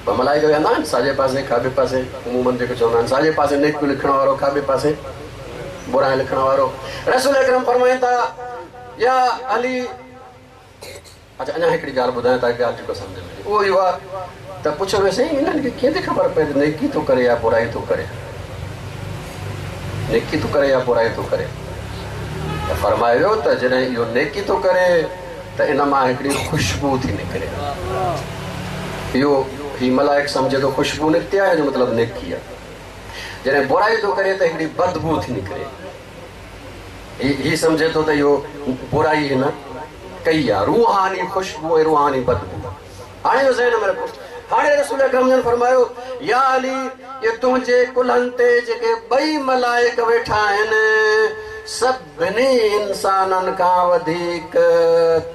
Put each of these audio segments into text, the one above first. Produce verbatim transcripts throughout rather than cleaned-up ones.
ॿ मलाइक वेहंदा आहिनि साॼे पासे खाॿे पासे। उमूमन जेको चवंदा आहिनि साॼे पासे नेकियूं लिखण वारो, खाॿे पासे बुराई लिखण वारो। रसूल अकरम फरमाइनि था या अली, अच्छा अञा हिकिड़ी ॻाल्हि ॿुधायां ताकी ॻाल्हि जेको सम्झ में अचे। उहो इहो आहे त पुछो वियो साईं हिननि खे कीअं थी ख़बर पए त नेकी थो करे या बुराई थो करे, नेकी थो करे या बुराई थो करे? त फरमायो वियो त जॾहिं इहो नेकी थो करे त इन मां हिकिड़ी ख़ुशबू थी निकिरे। इहो ही मलाइक सम्झे थो ख़ुशबू निकिती आहे, जो मतिलबु नेकी आहे। जॾहिं बुराई थो करे त हिकिड़ी बदबू थी निकिरे, ही सम्झे थो त इहो बुराई हिन कई आहे, रूहानी ख़ुशबू ऐं रूहानी बदबू। हाणे इहो ज़हन में रखो। हाणे रसूल अकरम जन फरमायो या अली, इहे तुंहिंजे कुल्हनि ते जेके ॿई मलाइक वेठा आहिनि सभिनी इंसाननि खां वधीक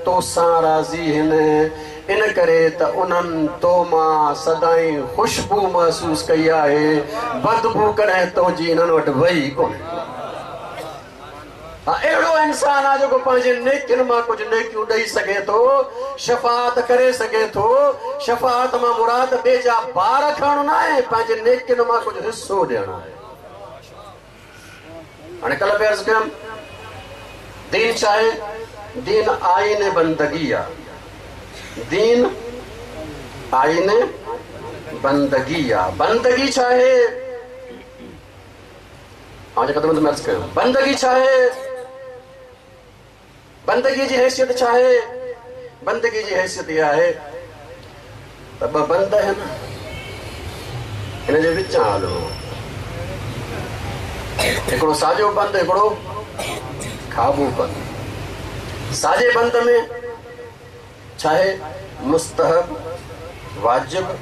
तोसां राज़ी आहिनि, इन करे त उन्हनि तो मां सदाई ख़ुशबू महसूसु कई आहे, बदबू कॾहिं तुंहिंजी इन्हनि वटि वई कोन्हे। अहिड़ो इंसान आहे जेको पंहिंजे नेकियुनि मां कुझु नेकियूं ॾेई सघे थो, शफ़ात करे सघे थो। शफ़ात मां मुराद ॿिए जा बार खणणो न आहे, पंहिंजे नेकियुनि मां कुझु हिसो ॾियणो आहे। हाणे कल्ह बि अर्ज़ु कयमि, दीन छा आहे? दीन आईन बंदगी आहे, दीन आईन बंदगी आहे। बंदगी छा आहे? ख़िदमत में अर्ज़ु कयो, बंदगी छा आहे? बंदगी जी हैसियत छा आहे? बंदगी जी हैसियत इहा आहे त ॿ बंद आहिनि, हिन जे विचां हलणो, हिकिड़ो साॼो बंद, हिकिड़ो खाॿो बंद। साॼे बंद में छा आहे? मुस्तहब, वाजिब,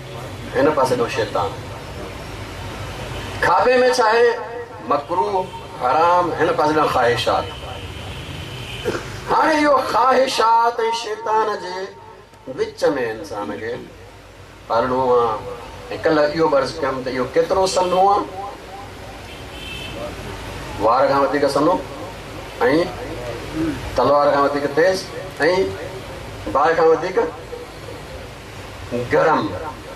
हिन पासे ॾो शैतान। खाॿे में छा आहे? मकरूह, हराम, हिन पासे ॾांहुं ख़्वाहिशात। हाणे इहो ख़्वाहिशात ऐं शैतान जे विच में इंसान खे हलणो आहे। ऐं कल्ह इहो बि अर्ज़ु कयमि त इहो केतिरो सनो आहे? वार खां वधीक सनो ऐं तलवार खां वधीक तेज़ ऐं बाहि खां वधीक गरम,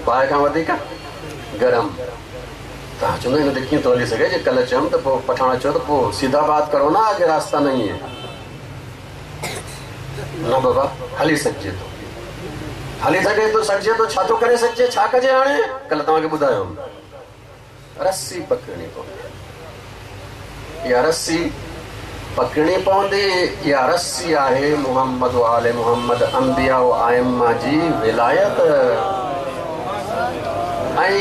बाहि खां वधीक गरम। तव्हां चवंदो हिन ते कीअं थो हली सघे? जे कल्ह चयमि त पोइ पठाण चयो त पोइ सीधा बात करो ना, आगे रास्ता नहीं है। न बाबा, हली सघिजे थो, हली सघे थो, सघिजे थो। छा थो करे सघिजे? छा कजे? हाणे कल्ह तव्हांखे ॿुधायो, रस्सी पकड़णी पवंदी। इहा रस्सी पकड़णी पवंदी। इहा रस्सी आहे मोहम्मद आले मोहम्मद अंबिया आइम्मा जी विलायत। ऐं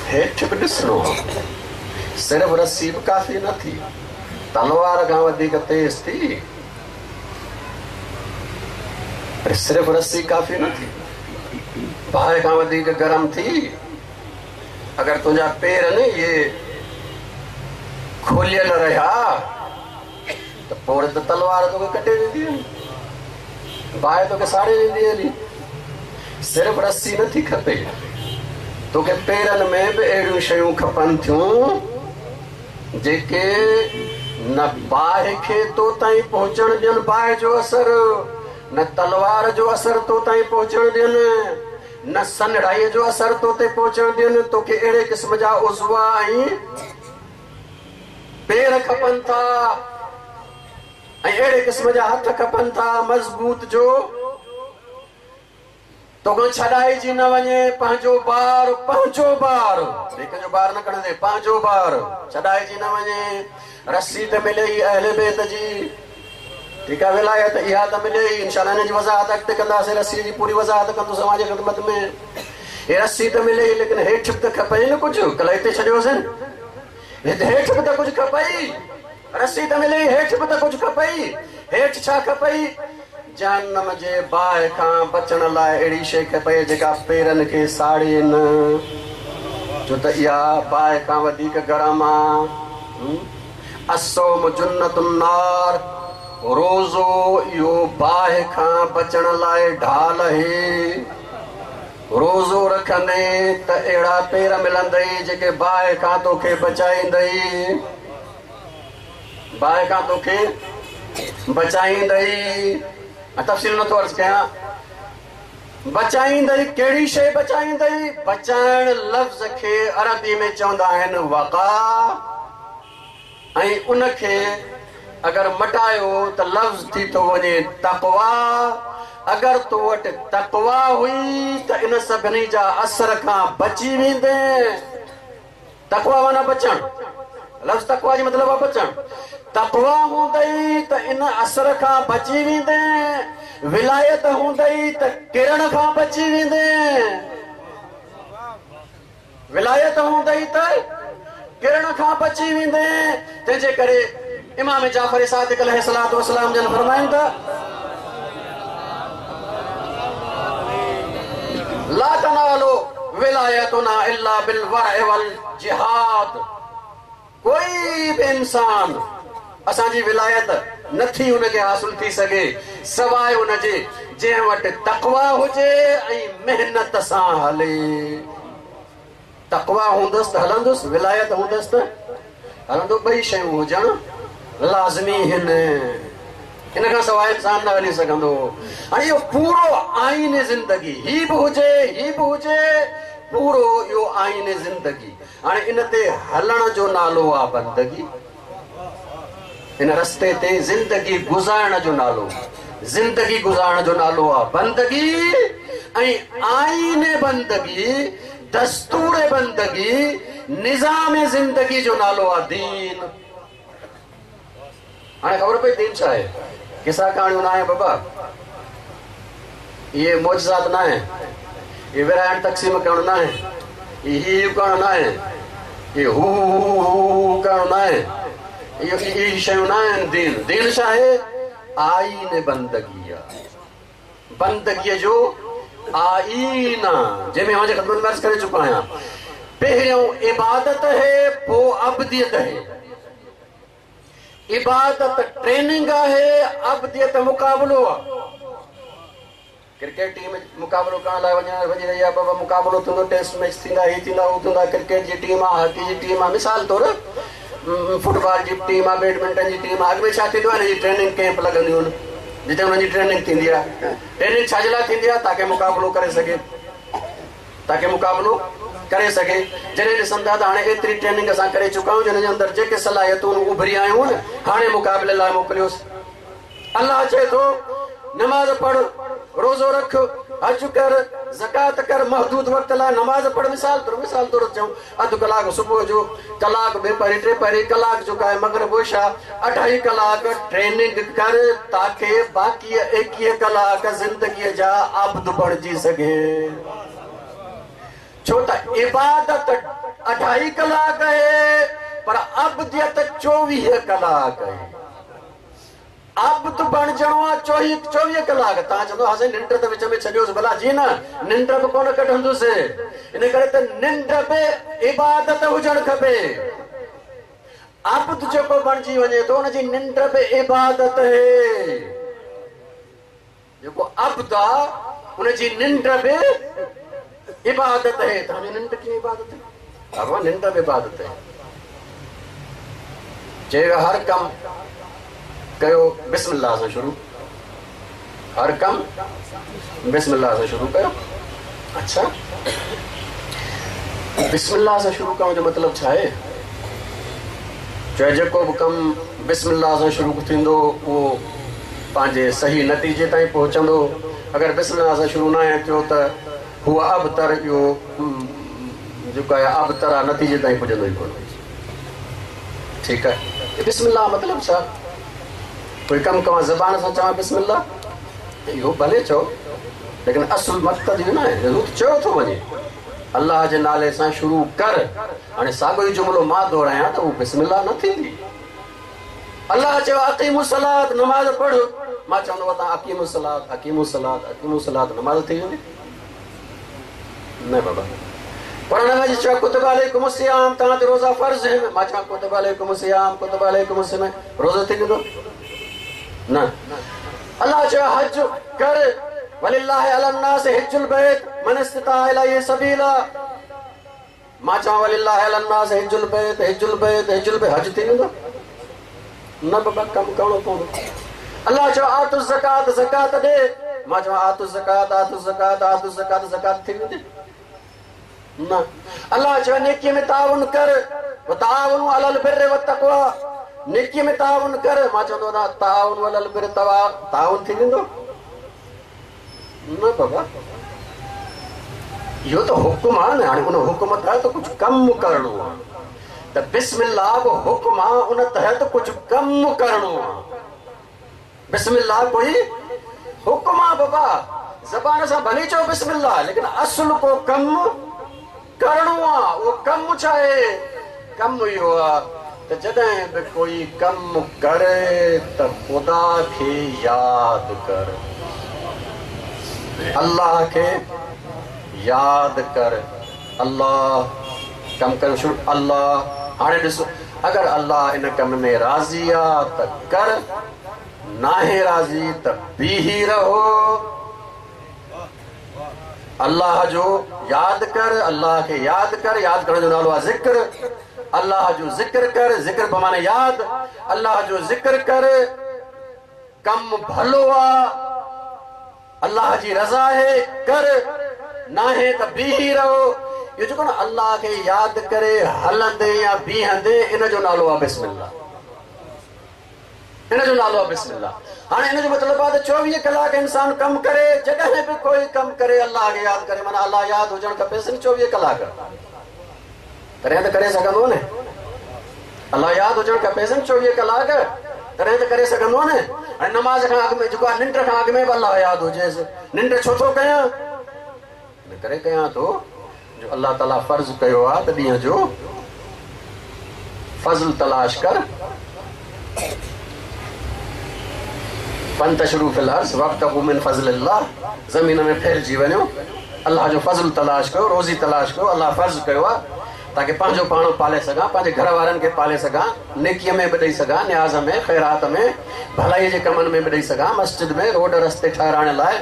हेठि बि ॾिसणो, सिर्फ़ रस्सी बि काफ़ी न थी, तलवार खां वधीक तेज़ थी, पर सिर्फ़ रस्सी काफ़ी न थी, बाहि खां वधीक गरम थी। अगरि तुंहिंजा पेर न इहे खुलियल रहिया त पोइ त तलवार तोखे कटे वेंदी हली, बाहि तोखे साड़े वेंदी हली। सिर्फ़ रस्सी नथी खपे, तोखे पेरनि में बि अहिड़ियूं शयूं खपनि थियूं जेके न बाहि खे तो ताईं पहुचण ॾियनि, बाहि जो असरु, न तलवार जो असरु तो ताईं पहुचण ॾियनि, न सनड़ाईअ जो असरु तो ते पहुचण ॾियनि। तोखे अहिड़े क़िस्म जा उज़वा ऐं पेर खपनि था ऐं अहिड़े क़िस्म जा हथ खपनि था मज़बूत, जो तोखां छॾाइजी न वञे। पंहिंजो ॿार, पंहिंजो ॿार, ॿिए जो ॿार न खणंदे, पंहिंजो ॿार छॾाइजी न वञे। रस्सी त मिले ई अहले बैत जी, ठीकु आहे, विलायत इहा त मिले ई। इंशाअल्लाह हिन जी वज़ाहत अॻिते कंदासीं, रस्सी जी पूरी वज़ाहत कंदुसि अव्हां जी ख़िदमत में। हे रस्सी त मिले ई, लेकिन हेठि बि त खपे न कुझु। कल्ह हिते छॾियोसीं, हिते हेठि बि त कुझु खपे ई। रस्सी त मिले ई, हेठि बि त कुझु खपे ई। हेठि छा खपे ई? जहन्नम जे बाहि खां बचण लाइ अहिड़ी शइ खपे जेका पेरनि खे साड़े न, छो त इहा बाहि खां वधीक गरम आहे। असौम जुन्नतुन नार, रोज़ो इहो बाहि खां बचण लाइ ढाल आहे। रोज़ो रखंदे त अहिड़ा पेर मिलंदई जेके बाहि खां तोखे बचाईंदई, बाहि खां तोखे बचाईंदई। तफ़सील नथो अर्ज़ु कयां। बचाईंदई कहिड़ी शइ बचाईंदई? बचाइण लफ़्ज़ खे अरबी में चवंदा आहिनि वक़ा, ऐं उनखे अगरि मटायो त लफ़्ज़ थी थो वञे तक़वा। अगरि तो वटि तक़वा हुई त इन सभिनी जा असर खां बची वेंदे। तक़वा माना बचणु, लफ़्ज़ तक़वा जो मतिलबु आहे बचणु। तक़वा हूंदई त इन असर खां बची वेंदे, विलायत हूंदई त किरण खां बची वेंदे, विलायत हूंदई त किरण खां बची वेंदे। तंहिंजे करे इमाम जाफ़र सादिक़ अलैहिस्सलातु वस्सलाम जन फरमाइनि था, ला तनालो विलायतुना इल्ला बिल वरअ वल जिहाद। कोई बि इंसान असांजी विलायत नथी उनखे हासिल थी सघे सवाइ उनजे जंहिं वटि तक़वा हुजे ऐं महिनत सां हले। तक़वा हूंदसि त हलंदुसि, विलायत हूंदसि त हलंदो। ॿई शयूं हुजणु लाज़मी आहिनि, इन खां सवाइ इंसान न हली सघंदो। हाणे इहो पूरो आइन ज़िंदगी, ही बि हुजे ही बि हुजे, पूरो इहो आइन ज़िंदगी। हाणे इन ते हलण जो नालो आहे बंदगी, इन रस्ते ते ज़िंदगी गुज़ारण जो नालो, ज़िंदगी गुज़ारण जो नालो आहे बंदगी। ऐं आइन बंदगी, दस्तूर बंदगी, निज़ाम ज़िंदगी जो नालो आहे दीन। हाणे ख़बर पई दीन छा आहे? किसा कहाणियूं न आहे बाबा, इहे मौजज़ात न आहे, इहे विराइण तक़सीम करणु न आहे, इहे ही करणु न आहे, इहे हू हू करणु न आहे, इहो इहे शयूं न आहिनि दीन। दीन छा आहे? आइन बंदगी आहे, बंदगीअ जो आइन, जंहिंमें अव्हांजे ख़िदमत में अर्ज़ करे चुको आहियां। पहिरियों इबादत है, पोइ अबदियत है। इबादत ट्रेनिंग आहे, अबदियत मुक़ाबिलो आहे। क्रिकेट टीम मुक़ाबिलो करण लाइ वञण वञी रही आहे बाबा, मुक़ाबिलो थींदो, टेस्ट मैच थींदा, ही थींदा, हू थींदा। क्रिकेट जी टीम आहे, हॉकी जी टीम आहे, मिसाल तौरु फुटबॉल जी टीम आहे, बैडमिंटन जी टीम आहे। अॻु में छा थींदो आहे, हिन जी ट्रेनिंग कैंप लॻंदियूं आहिनि, जिते हुननि जी ट्रेनिंग थींदी आहे। ट्रेनिंग छा जे लाइ थींदी आहे? ताकी मुक़ाबिलो करे सघे, ताकी मुक़ाबिलो करे सघे। जॾहिं ॾिसनि था त हाणे एतिरी ट्रेनिंग असां करे चुका आहियूं, जिन जे अंदरि जेके सलाहियतूं उभरी आयूं आहिनि, हाणे मुक़ाबिले लाइ मोकिलियोसि। अलाह चए थो नमाज़ पढ़, रोज़ो रख, हज कर, ज़कात कर, महदूद वक़्त लाइ नमाज़ पढ़। मिसाल तौरु मिसाल तौरु चऊं, अधु कलाक सुबुह जो, कलाक ॿिपहरी, टे पहरी, कलाक जेको आहे मग़रिब इशा, अढाई कलाक ट्रेनिंग कर ताकी बाक़ी एकवीह कलाक ज़िंदगीअ जा आब्द बणिजी सघे। छो त इबादत अढाई कलाक आहे, पर अबदियत चोवीह कलाक आहे। अब्द बणिजणो आहे चोवीह चोवीह कलाक। तव्हां चवंदो हा साईं निंड त विच में छॾियोसि, भला जी न, निंड बि कोन कढंदुसि। इन करे त निंड बि इबादत हुजणु खपे। अब्द जेको बणिजी वञे थो हुनजी निंड बि इबादत आहे। जेको अब्द आहे हुनजी निंड बि इबादत है। तव्हांजी निंड कीअं इबादत है? बाबा निंड बि इबादत है। चयो हर कमु कयो बिस्मिल्लाह सां शुरू, हर कमु बिस्मिल्लाह सां शुरू कयो। अच्छा, बिस्मिल्लाह सां शुरू करण जो मतिलबु छा आहे? चाहे जेको बि कमु बिस्मिल्लाह सां शुरू थींदो उहो पंहिंजे सही नतीजे ताईं पहुचंदो। अगरि बिस्मिल्लाह सां शुरू न आहे थियो त हूअ अबतर, इहो जेको आहे अबतर आहे, नतीजे ताईं पुॼंदो ई कोन। ठीकु आहे, बिस्मिल्लाह मतिलबु छा? कोई कमु कवां ज़बान सां चवां बिस्मिल्लाह, इहो भले चओ, लेकिन असुल मक़सदु इहो न आहे। हू त चयो थो वञे अलाह जे नाले सां शुरू कर। हाणे साॻियो ई जुमिलो मां दोहरायां त उहो बिस्मिल्लाह न थींदी। अलाह चयो अक़ीमुस सलात, नमाज़ पढ़। मां चवंदो आहियां अक़ीमुस सलात, अक़ीमुस सलात, अक़ीमुस सलात, नमाज़ थी वेंदी? न बाबा। क़ुरान में चयो कुतिब अलैकुमुस सियाम, तव्हां ते रोज़ा फ़र्ज़ आहिनि। मां चवां कुतिब अलैकुमुस सियाम, कुतिब अलैकुमुस सियाम, रोज़ो थी वेंदो? न। अलाह चयो हज कर, वलिल्लाहि अलन्नास हिज्जुल बैत मन इस्तता इलैहि सबीला। मां चवां वलिल्लाहि अलन्नास हिज्जुल बैत, हिज्जुल बैत, हिज्जुल बैत, हज थी वेंदो? न बाबा, कमु करणो पवंदो। अलाह चयो आतु ज़कात, ज़कात ॾे। मां चवां आतु ज़कात आतु ज़कात आतु ज़कात ज़कात थी वेंदी न। अल्लाह चयो नेकी में ताउन कर, ताउन अलल बिर्र व तक़वा, नेकी में ताउन कर। मां चवंदो ना ताउन अलल बिर्र तवा ताउन थी वेंदो न बाबा, इहो त हुकुम आहे न। हाणे उन हुकुम तहत कुझु कमु करिणो आहे, त बिस्मिल्लाह बि हुकुम आहे, उन तहत कुझु कमु करिणो आहे। बिस्मिल्लाह कोई हुकुम आहे बाबा, ज़बान सां भली चओ बिस्मिल्लाह, लेकिन असुल को कमु करिणो आहे। उहो कमु छा आहे? कमु इहो आहे त जॾहिं बि कोई कमु करे त ख़ुदा खे यादि कर, अल्लाह खे यादि कर। अल्लाह कम करणु शुरू, अल्लाह। हाणे ॾिस, अगरि अल्लाह इन कम में राज़ी आहे त कर, नाहे राज़ी त बीही रहो। अल्लाह जो यादि कर, अल्लाह खे यादि कर। यादि करण जो नालो आहे ज़िक्र। अल्लाह जो ज़िक्र कर, ज़िक्र बमाने यादि। अल्लाह जो ज़िक्र कर, कम भलो आहे, अल्लाह जी रज़ा आहे, कर, नाहे त बीही रहो। इहो जेको न अल्लाह खे यादि करे हलंदे या बीहंदे, इन जो नालो आहे बिस्मिल्लाह, इन जो नालो आहे बिस्मिल्लाह। हाणे इन जो मतिलबु आहे त चोवीह कलाक इंसान कमु करे, जॾहिं बि कोई कमु करे अल्लाह खे यादि करे, माना अल्लाह यादि हुजणु खपेसि न चोवीह कलाक, तॾहिं त करे सघंदो न। अल्लाह यादि हुजणु खपेसि न चोवीह कलाक, तॾहिं त करे सघंदो न। ऐं नमाज़ खां अॻु में जेको आहे निंड खां अॻु में बि अल्लाह यादि हुजेसि। निंड छो थो कयां? इन करे कयां थो जो अल्लाह ताला फ़र्ज़ कयो आहे त ॾींहं जो फ़ज़ल तलाश कर, फंतशरू फिल अर्ज़ वब्तगू मिन फ़ज़लिल्लाह, ज़मीन में फैलिजी वञो, अल्लाह जो फ़ज़ल तलाश कयो, रोज़ी तलाश कयो। अल्लाह फ़र्ज़ कयो आहे ताकि पंहिंजो पाण पाले सघां, पंहिंजे घर वारनि खे पाले सघां, नेकीअ में बि ॾेई सघां, नियाज़ में, ख़ैरात में, भलाई जे कमनि में बि ॾेई सघां, मस्जिद में रोड रस्ते ठहिराइण लाइ,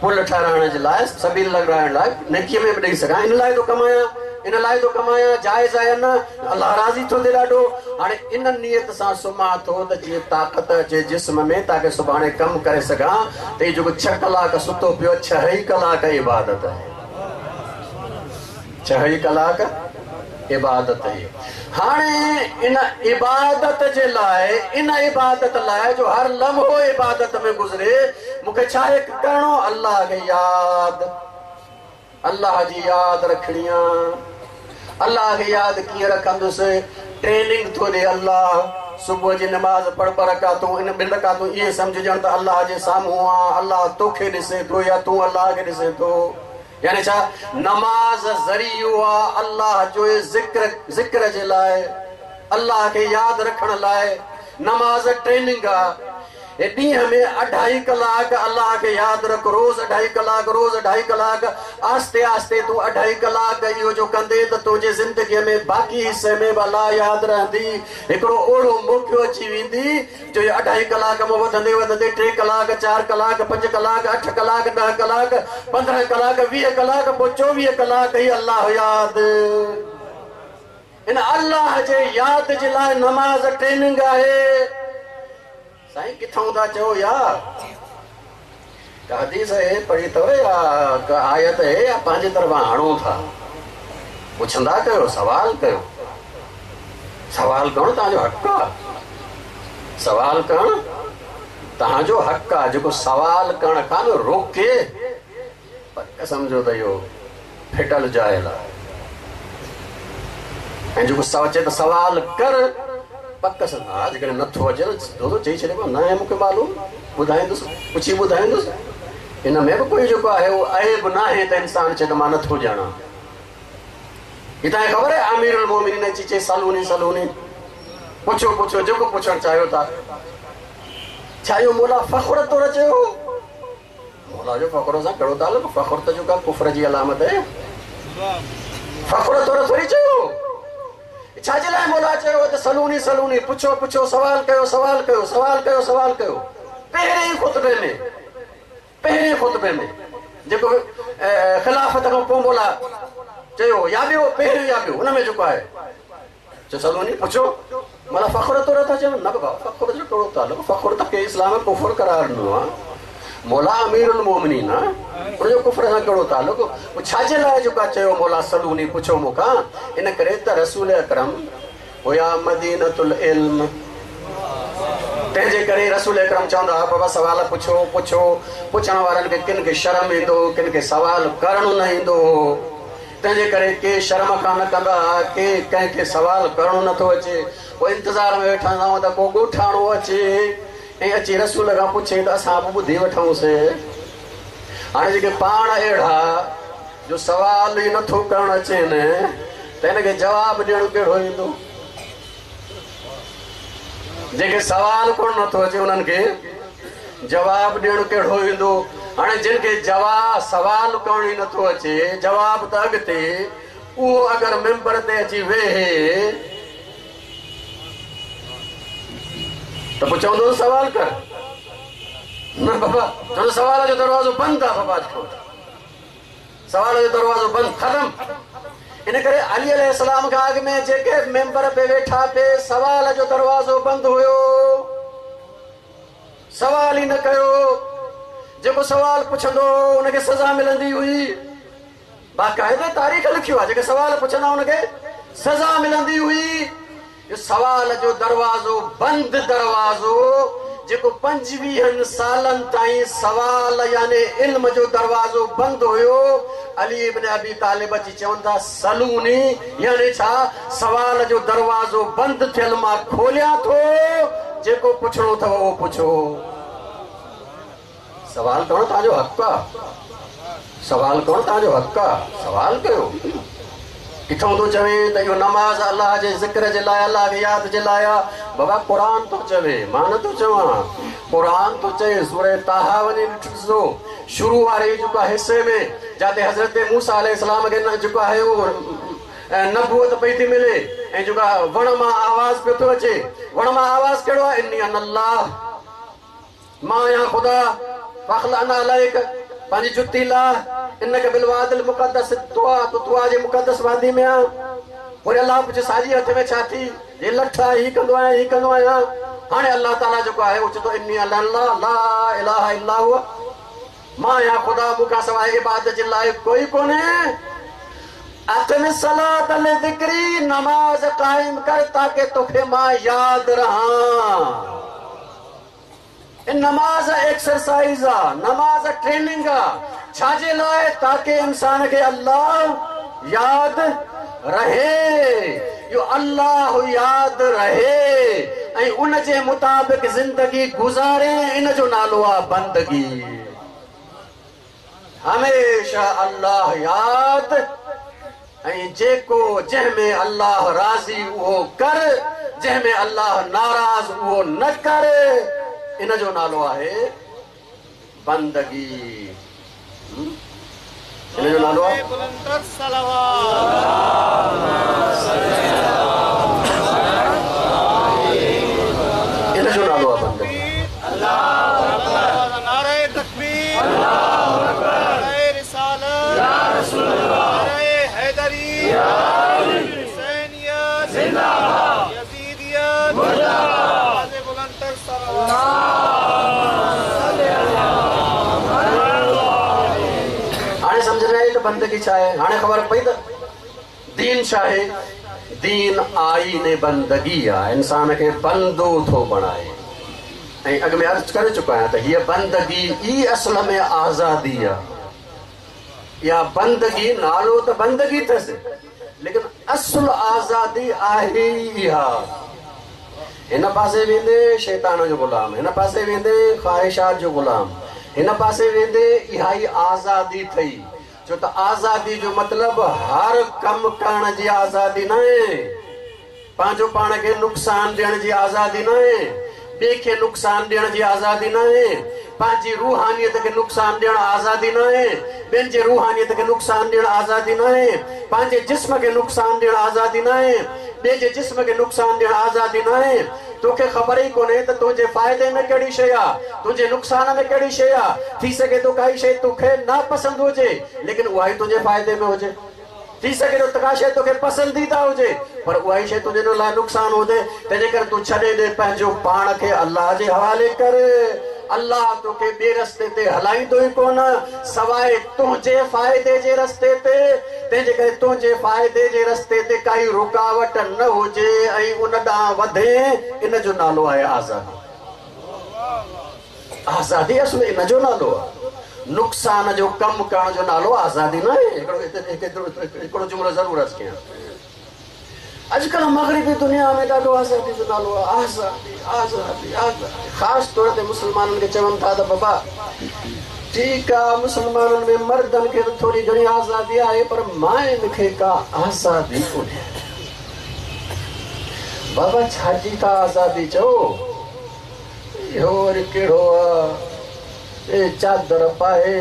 पुल ठहिराइण जे लाइ, सबील लॻाइण लाइ नेकीअ में बि ॾेई सघां। इन लाइ थो कमायां, इन लाइ थो कमायां, जाइज़ आहे न, अल्लाह राज़ी थो थिए ॾाढो। हाणे इन नियत सां सुम्हां थो त जीअं ताक़त अचे जिस्म में, ताकि सुभाणे कमु करे सघां। त इहो जेको छह कलाक सुतो पियो, छह ई कलाक इबादत आहे, छह ई कलाक इबादत है। हाणे इन इबादत जे लाइ, इन इबादत लाइ जो हर लम्हो इबादत में गुज़रे, मूंखे छा करिणो? अल्लाह खे यादि, अल्लाह जी यादि रखणी आहे। अल्लाह खे यादि कीअं रखंदुसि? ट्रेनिंग थो ॾे अल्लाह। सुबुह जी नमाज़ पढ़ ॿ रकातूं, इन ॿिनि रकातूं इहे सम्झिजणु त अल्लाह जे साम्हूं आहे, अल्लाह तोखे ॾिसे थो या तूं अल्लाह खे ॾिसे थो। यानी छा? नमाज़ ज़रियो आहे अल्लाह जो ज़िक्र, ज़िक्र जे लाइ, अल्लाह खे यादि रखण लाइ नमाज़ ट्रेनिंग आहे। ॾींहं में अढाई कलाक अल्लाह खे यादि रख, रोज़ अढाई कलाक, रोज़ अढाई कलाक, आहिस्ते आहिस्ते तूं अढाई कलाक इहो जो कंदे त तुंहिंजे ज़िंदगीअ में बाक़ी हिसे में बि अल्लाह यादि रहंदी। हिकिड़ो अहिड़ो मौक़ो अची वेंदी जो अढाई कलाक मां वधंदे वधंदे टे कलाक, चारि कलाक, पंज कलाक, अठ कलाक, ॾह कलाक, पंद्रहं कलाक, वीह कलाक, पोइ चोवीह कलाक ई अल्लाह यादि। इन अल्लाह जे यादि जे लाइ नमाज़ ट्रेनिंग आहे। साईं किथां था चओ यार? का हदीस है पढ़ी अथव या का आयत है या पंहिंजे तरफ़ां हणो था? पुछंदा कयो, सवाल कयो। सवाल करणु तव्हांजो हक़ आहे, सवाल करणु तव्हांजो हक़ आहे। जेको सवाल करण खां न रोके, पक सम्झो त इहो फिटल जाहिल आहे। ऐं जेको चए त सवाल कर, पक सां हा, जेकॾहिं नथो अचे त सिधो चई छॾे, न आहे मूंखे मालूम, ॿुधाईंदुसि, पुछी ॿुधाईंदुसि। इन में बि कोई जेको आहे उहो ऐब न आहे त इंसान चए त मां नथो ॼाणां। हीअ तव्हांखे ख़बर आहे अमीरुल मोमिनीन अची चए सलूनी सलूनी, पुछो पुछो जेको पुछणु चाहियो था। छा इहो मौला फ़ख़्र तौर चयो? मौला जो फ़ख़्र सां कहिड़ो तालुक़? फ़ख़्र त जेको कुफ़र जी अलामत आहे, फ़ख़्र तौर थोरी चयो। छा जे लाइ मौला चयो त सलूनी सलूनी, पुछो पुछो, सवाल कयो सवाल कयो सवाल कयो सवाल कयो। पहिरें ई ख़ुतबे में, पहिरें ख़ुतबे में जेको ख़िलाफ़त खां पोइ मौला चयो, या ॿियो पहिरियों या ॿियो, हुन में जेको आहे चयो सलूनी पुछो। मौला फ़ख़्र तौर था चयो? न बाबा, फ़ख़्र जो कहिड़ो तालुक़? फ़ख़्र त खे इस्लाम में कुफ़र करार ॾिनो आहे। मौला अमीरुल मोमिनीन आहे, उनजो कुफ्र सां कहिड़ो तालुक? पोइ छाजे लाइ जेको आहे चयो मौला सलूनी पुछो मूंखां? इन करे त रसूल अकरम हुया मदीनतुल इल्म, तंहिंजे करे रसूल अकरम चवंदा हुआ बाबा सवाल पुछो पुछो। पुछण वारनि खे किन खे शर्म ईंदो हो, किन खे सवाल करणु न ईंदो हो। तंहिंजे करे के शर्म खां न कंदा हुआ, के कंहिंखे सवाल करणु नथो अचे। पोइ इंतज़ार में वेठा हूंदा त को ॻोठाणो अचे ऐं अची रसूल खां पुछे त असां बि ॿुधी वठूंसीं। हाणे जेके पाण अहिड़ा जो सवाल ई नथो करणु अचनि त हिनखे जवाबु ॾियणु कहिड़ो ईंदो? जंहिंखे सवाल करणु नथो अचे उन्हनि खे जवाबु ॾियणु कहिड़ो ईंदो? हाणे जिन खे जवाब सवाल करणु ई नथो अचे, जवाब त अॻिते, उहो अगरि मेंबर ते अची वेहे त पोइ चवंदो सवाल कर। न बाबा, चवंदो सवाल जो दरवाज़ो बंदि आहे बाबा, अॼु सवाल जो दरवाज़ो बंदि, ख़तमु। इन करे अली अलैहिस्सलाम खां अॻु में जेके मेंबर पे वेठा पे सवाल जो दरवाज़ो बंदि हुयो, सवाल ई न कयो। जेको सवाल पुछंदो उनखे सज़ा मिलंदी हुई। बाक़ाइदा तारीख़ लिखियो आहे, जेके सवाल पुछंदा उनखे सज़ा मिलंदी हुई। सवाल जो दरवाज़ो बंदि दरवाज़ो जेको पंजवीहनि सालनि ताईं सवाल यानी इल्म जो दरवाज़ो बंदि हुयो, अली इब्न अबी तालिब अची चवनि था सलूनी, यानी छा? सवाल जो दरवाज़ो बंदि थियल मां खोलियां थो, जेको पुछणो अथव उहो पुछो। सवाल करणु तव्हांजो हक़ आहे, सवाल करणु तव्हांजो हक़ आहे, सवाल कयो। किथां थो चवे त इहो नमाज़ अल्लाह जे ज़िक्र जे लाइ, अल्लाह खे यादि जे लाइ आहे। बाबा क़ुर थो चवे, मां नथो चवां, क़ुर थो चए। सूरह ताहा वञी ॾिसो, शुरू वारे जेको आहे हिसे में जिते हज़रत मूसा अलैहिस्सलाम खे जेको आहे उहो नबूअत पई थी मिले ऐं जेको आहे वण मां आवाज़ पियो थो अचे। वण मां आवाज़ कहिड़ो आहे? इन्नी अनल्लाह, मां आहियां ख़ुदा, फ़ख़्लअ अलैक, पंहिंजी जुती लाह, इनक बिलवादिल मुक़द्दस तुआ, तूं तुआ जे मुक़द्दस वादी में आहे। वरी अल्लाह पुछे साॼी हथ में छा थी? हे लठ आहे, हीअ कंदो आहियां, हीअ कंदो आहियां। हाणे अल्लाह ताला जेको आहे उहो चए थो इन्नी अल्लाह ला इलाहा इल्ला हुआ, मां आहियां ख़ुदा, मूंखां सवाइ इबादत जे लाइ कोई कोन्हे। अक़िम सलात लिज़िक्री, नमाज़ क़ाइम कर ताके तोखे मां यादि रहां। नमाज़ एक्सरसाइज़ आहे, नमाज़ ट्रेनिंग आहे। छाजे लाइ? ताके इंसान खे अल्लाह यादि रहे। इहो अल्लाह यादि रहे ऐं उन जे मुताबिक़ ज़िंदगी गुज़ारे, इन जो नालो आहे बंदगी। हमेशा अल्लाह यादि ऐं जेको जंहिंमें अल्लाह राज़ी उहो कर, जंहिंमें अल्लाह नाराज़ उहो न कर, इन जो नालो आहे बंदगी। इन जो नालो आहे इन जो नालो आहे बंदगी। नारे तकबीर, नारे रिसालत, नारे हैदरी, हुसैनियत जिंदाबाद, यजीदियत मुर्दाबाद। हाणे सम्झ में आई त बंदगी छा आहे? हाणे ख़बर पई त दीन छा आहे? दीन आईने बंदगी आहे, इंसान खे बंदो थो बणाए। ऐं अॻु में अर्ज़ु करे चुको आहियां त हीअ बंदगी ई असल में आज़ादी आहे। इहा बंदगी नालो त बंदगी अथसि, लेकिन असुलु आज़ादी आहे ई इहा। हिन पासे वेंदे शैतान जो ग़ुलाम, हिन पासे वेंदे ख़्वाहिशात जो ग़ुलाम, हिन पासे वेंदे इहा ई आज़ादी अथई। छो त आज़ादी जो मतिलबु हर कमु करण जी आज़ादी न आहे, पंहिंजो पाण खे नुक़सानु ॾियण जी आज़ादी न आहे, ॿिए खे नुक़सानु ॾियण जी आज़ादी न आहे, पंहिंजी रूहानियत खे नुक़सानु ॾियण आज़ादी न आहे, ॿियनि जे रूहानियत खे नुक़सानु ॾियण आज़ादी न आहे, पंहिंजे जिस्म खे नुक़सानु ॾियण आज़ादी न आहे, ॿिए जे जिस्म खे नुक़सानु ॾियण आज़ादी न आहे। तोखे ख़बर ई कोन्हे त तुंहिंजे फ़ाइदे में कहिड़ी शइ आहे, तुंहिंजे नुक़सान में कहिड़ी शइ आहे। थी सघे थो काई शइ तोखे नापसंदि हुजे, लेकिन उहा ई तुंहिंजे फ़ाइदे में हुजे। थी सघे थो का शइ तोखे पसंदीदा हुजे, पर उहा ई शइ तुंहिंजे लाइ नुक़सानु हुजे। तंहिंजे करे तूं छॾे ॾे, पंहिंजो पाण खे अल्लाह जे हवाले कर। अल्लाह तोखे ॿिए रस्ते ते हलाईंदो ई कोन सवाइ तुंहिंजे फ़ाइदे जे रस्ते ते। तंहिंजे करे तुंहिंजे फ़ाइदे जे रस्ते ते काई रुकावट न हुजे ऐं उन ॾांहुं वधे, इन जो नालो आहे आज़ादी। आज़ादी असुल इन जो नालो आहे, नुक़सान जो कमु करण जो नालो आज़ादी न आहे। हिकिड़ो जुमिलो ज़रूरु अर्ज़ु कयां। अॼुकल्ह मग़रिबी दुनिया में ॾाढो आज़ादी जो नालो आहे, आज़ादी आज़ादी आज़ादी। ख़ासि तौर ते मुस्लमाननि खे चवनि था त बाबा ठीकु आहे, मुस्लमाननि में मर्दनि खे त थोरी घणी आज़ादी आहे, पर माइनि खे का आज़ादी कोन्हे। बाबा छाजी था आज़ादी चओ? इहो वरी कहिड़ो आहे? ए चादर पाए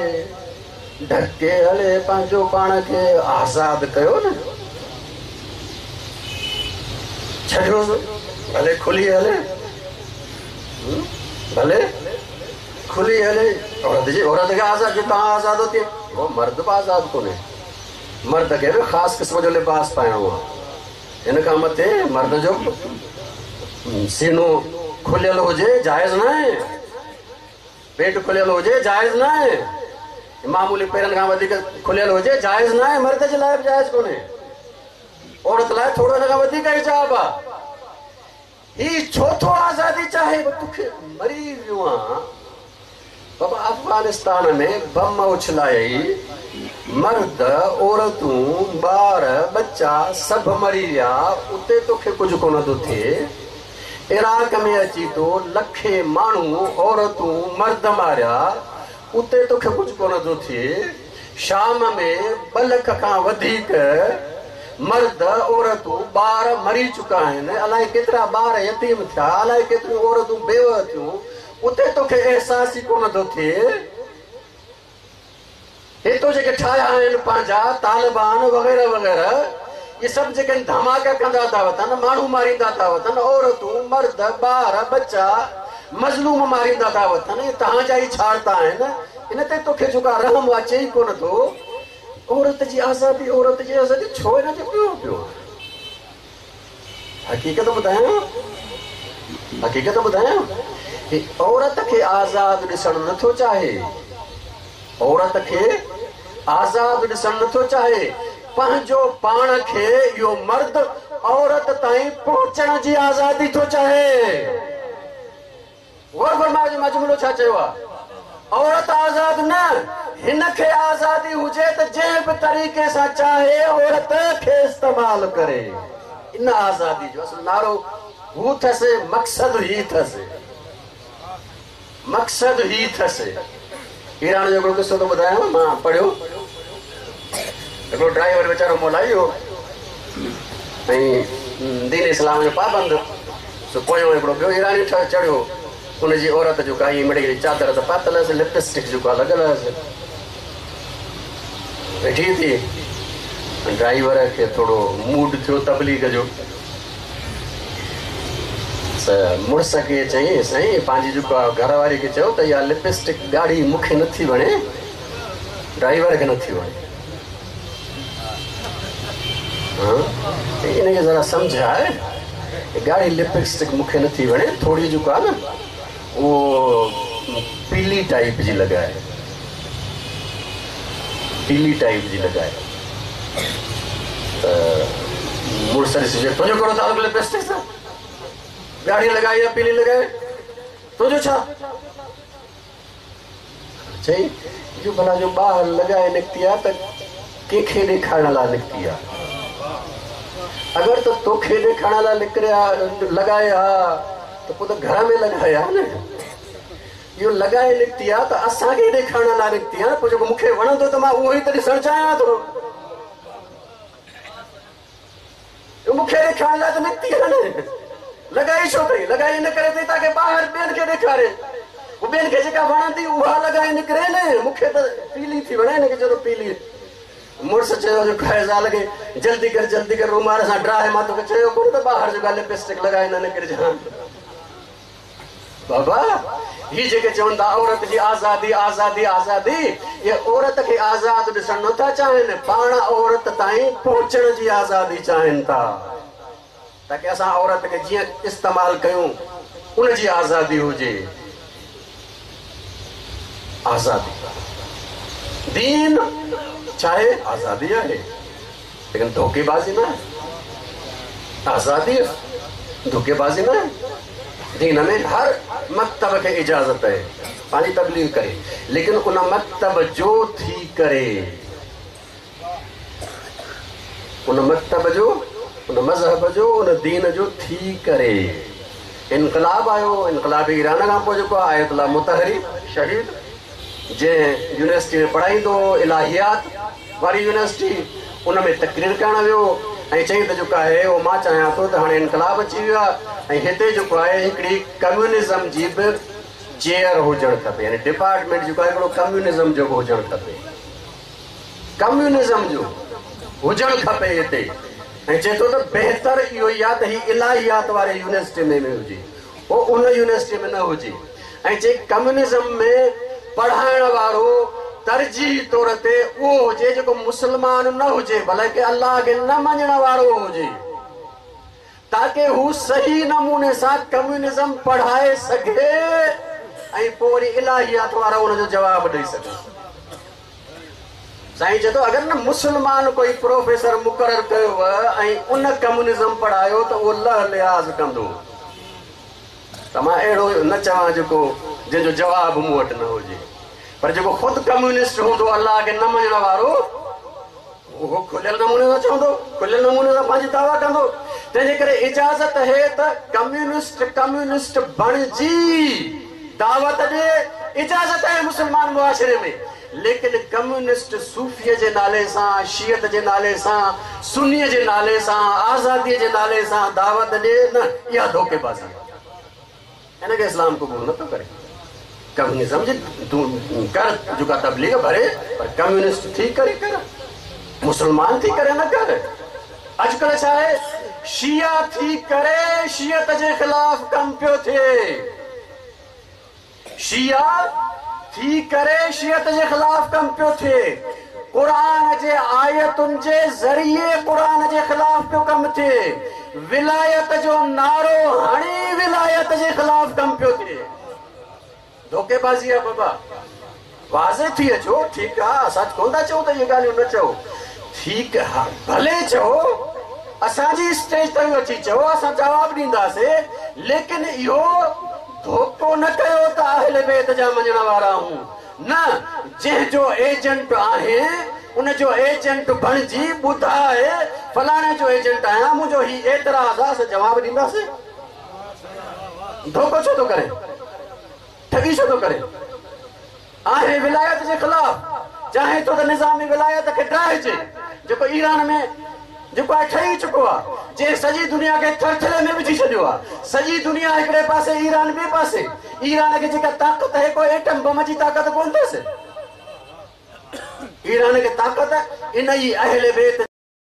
ढके हले पंहिंजो पाण खे आज़ाद कयो न, छॾियो भले खुली हले, भले खुली हले। औरत जी औरत खे आज़ाद, तव्हां आज़ाद हो थिए, उहो मर्द बि आज़ाद कोन्हे। मर्द खे बि ख़ासि क़िस्म जो लिबास पाइणो आहे, हिन खां मथे मर्द जो सीनो खुलियल हुजे जाइज़ न आहे, पेट खुलियल हुजे जाइज़ न आहे, मामूली पेरनि खां वधीक खुलियल हुजे जाइज़ न आहे। मर्द जे लाइ बि जाइज़ कोन्हे, औरत लाइ थोरो हिन खां वधीक हिजाब आहे। ही छो थो आज़ादी चाहे? तोखे मरी वियो आहे बाबा। अफ़गानिस्तान में बम उछलाई, मर्द औरतूं ॿार बच्चा सभु मरी विया, उते तोखे कुझु कोन थो थिए। इराक में अची थो लखे माण्हू औरतूं मर्द मारिया, उते तोखे कुझु कोन थो थिए। शाम में ॿ लख खां वधीक मर्द औरतूं ॿार मरी चुका आहिनि, अलाए केतिरा ॿार यतीम थिया, अलाए केतिरियूं औरतूं बेव थियूं, उते तोखे अहसासु ई कोन थो थिए। हितो जेके ठाहिया आहिनि पंहिंजा तालिबान वग़ैरह वग़ैरह, इहे सभु जेके धमाका कंदा था वतनि, माण्हू मारींदा था वतनि, औरतूं मर्द ॿार बच्चा मज़लूम मारींदा था वतनि, इहे तव्हांजा ई छाड़ता आहिनि। इन ते तोखे जेको रहम अचे ई कोन थो। औरत जी आज़ादी, औरत जी आज़ादी छो हिन जो पियो पियो? हक़ीक़त ॿुधायां, हक़ीक़त ॿुधायां, औरत खे आज़ाद ॾिसणु नथो चाहे, औरत खे आज़ाद ॾिसणु नथो चाहे। पंहिंजो पाण खे इहो मर्द औरत ताईं पहुचण जी आज़ादी थो चाहे। गौर फरमायो, जो मां जुमिलो छा चयो आहे? औरत आज़ाद न, हिन खे आज़ादी हुजे त जंहिं बि तरीक़े सां चाहे औरत खे इस्तेमालु करे। इन आज़ादी जो असुलु नारो हू अथसि, मक़सदु ही अथसि, मक़सदु ही अथसि। ईरान जो हिकिड़ो क़िसो थो ॿुधायांव, मां पढ़ियो। हिकिड़ो ड्राइवर वीचारो मोलाई हो ऐं दीन इस्लाम जो पाबंद, सो पोयों हिकिड़ो ॿियो ईरानी चढ़ियो, उनजी औरत जो का ईअं मिड़ी चादर त पातल हुअसि, लिपस्टिक जेको आहे लॻल हुअसि, वेठी थी। ड्राइवर खे थोरो मूड थियो तबलीग जो, त मुड़ुस खे चयईं, साईं पंहिंजी जेको आहे घरवारी खे चयो त इहा लिपस्टिक ॻाढ़ी मूंखे नथी वणे, ड्राइवर खे नथी वणे, इन खे ज़रा सम्झाए, ॻाढ़ी लिपस्टिक मूंखे नथी वणे, थोरी जेको आहे न उहो पीली टाइप जी लॻाए, पीली टाइप जी लॻाए। त मुड़ुस ॾिसी चयो, तुंहिंजो कहिड़ो तालुक़ु लिपस्टिक सां? ॻाढ़ी लॻाई या पीली लॻाए, तुंहिंजो छा? चई इहो भला जो ॿाहिरि लॻाए निकिती आहे त कंहिंखे ॾेखारण लाइ निकिती आहे? अगरि त तोखे ॾेखारण लाइ निकिरे हा, लॻाए हा त पोइ त घर में लॻाए हा न। इहो लॻाए निकिती आहे त असांखे ॾेखारण लाइ निकिती आहे न, पोइ जेको मूंखे वणंदो त मां उहो ई त ॾिसणु चाहियां थो। मूंखे ॾेखारण लाइ त निकिती आहे न, लॻाई छो अथई? लॻाई इन करे अथई ताकी ॿाहिरि ॿियनि खे ॾेखारे, पोइ ॿियनि खे जेका वणंदी उहा लॻाए निकिरे न। मूंखे त पीली थी वणे, हिनखे चयो पीली। मुड़ुस चयो जो ज़ाल खे, जल्दी कर जल्दी कर, रुमाल सां ड्राए, मां तोखे चयो कोन त ॿाहिरि जेका लिपस्टिक लॻाए न निकिरिजां। बाबा ही जेके चवनि था औरत जी आज़ादी आज़ादी आज़ादी, इहे औरत खे आज़ाद ॾिसणु नथा चाहिनि, पाण औरत ताईं पहुचण जी आज़ादी चाहिनि था, ताकी असां औरत खे जीअं इस्तेमालु कयूं उनजी आज़ादी हुजे। आज़ादी। दीन चाहे आज़ादी आहे, लेकिन धोखेबाज़ी न आहे। आज़ादी धोखेबाज़ी न आहे। दीन में हर मकतब खे इजाज़त आहे पंहिंजी तबलीग करे, लेकिन उन मकतब जो थी करे, उन मकतब जो, उन मज़हब जो, उन दीन जो थी करे। इनक़लाब आयो, इनक़लाब ईरान खां पोइ जेको आयतुल्लाह मुतहरी शहीद, जंहिं यूनिवर्सिटी में पढ़ाईंदो हो इलाहियात वारी यूनिवर्सिटी, उन में तकरीर करण वियो ऐं चई त जेको आहे उहो मां चाहियां थो त हाणे इनक़लाब अची वियो आहे ऐं हिते जेको आहे हिकिड़ी कम्यूनिज़म जी बि चेयर हुजणु खपे, यानी डिपार्टमेंट जेको आहे हिकिड़ो कम्यूनिज़म जो बि हुजणु खपे, कम्यूनिज़म जो हुजणु खपे हिते। ऐं चए थो त बहितर इहो ई आहे त हीअ इलाहियात वारे यूनिवर्सिटी में में हुजे, उहो उन यूनिवर्सिटी में न हुजे। ऐं चए कम्यूनिज़म में पढ़ाइण वारो तरजीह तौर ते उहो हुजे जेको मुसलमान न हुजे, बल्कि अल्लाह खे न मञण वारो हुजे, ताकि हू सही नमूने सां कम्यूनिज़म पढ़ाए सघे ऐं पोइ वरी इलाहियात वारा उनजो जवाबु ॾेई सघे। साईं चए थो अगरि न मुसलमान कोई प्रोफेसर मुक़ररु कयो ऐं उन कम्यूनिज़म पढ़ायो त उहो लह लिहाज़ कंदो। त मां अहिड़ो न चवां जेको जंहिंजो जवाबु मूं वटि न हुजे, पर जेको ख़ुदि कम्यूनिस्ट हूंदो अल्लाह खे न मञण वारो, उहो खुलियल नमूने सां चवंदो, खुलियल नमूने सां पंहिंजी दावा कंदो। तंहिंजे करे इजाज़त है त कम्यूनिस्ट कम्यूनिस्ट बणिजी दावत ॾे, इजाज़त है मुसलमान मुआशरे में, लेकिन कम्यूनिस्ट सूफ़ीअ जे नाले सां, शियत जे नाले सां, सुन्नीअ जे नाले सां, आज़ादीअ जे नाले सां दावत ॾे न, इहा धोखेबाज़ी आहे। हिनखे इस्लाम क़बूल नथो करे। कम्यूनिज़म जे कर जेका तबलीग भरे, पर कम्यूनिस्ट थी करे कर, मुसलमान थी करे न कर। अॼुकल्ह छा आहे, शिया थी करे शियत जे ख़िलाफ़ कमु पियो थिए, शिया थी करे शियत जे ख़िलाफ़ कमु पियो थिए, क़ुर जे आयतुनि जे ज़रिए क़ुर जे ख़िलाफ़ पियो कमु थिए, विलायत जो नारो हणी विलायत जे ख़िलाफ़ कमु पियो थिए। धोखेबाज़ी आहे बाबा, वाज़े थी अचो, ठीकु आहे, असां कोन था चऊं त इहे ॻाल्हियूं न चओ, ठीकु आहे भले चओ, असांजी स्टेज ताईं अची चओ, असां जवाबु ॾींदासीं, लेकिन इहो धोखो न कयो त अहले बैत जा मञण वारा आहियूं न। जंहिंजो एजेंट आहे उनजो एजेंट बणिजी ॿुधाए फलाणे जो एजेंट आहियां, मुंहिंजो हीउ एतिराज़ आहे, असां जवाबु ॾींदासीं। धोखो छो थो करे, ठगी छो थो करे? आहे विलायत जे ख़िलाफ़, चाहे थो त निज़ामी विलायत खे डाहिजे, जेको ईरान में जेको आहे ठही चुको आहे, जंहिं सॼी दुनिया खे थरथले में विझी छॾियो आहे। सॼी दुनिया हिकिड़े पासे, ईरान ॿिए पासे। ईरान खे जेका ताक़त आहे, कोई एटम बम जी ताक़त कोन अथसि। ईरान खे ताक़त इन ई अहले बैत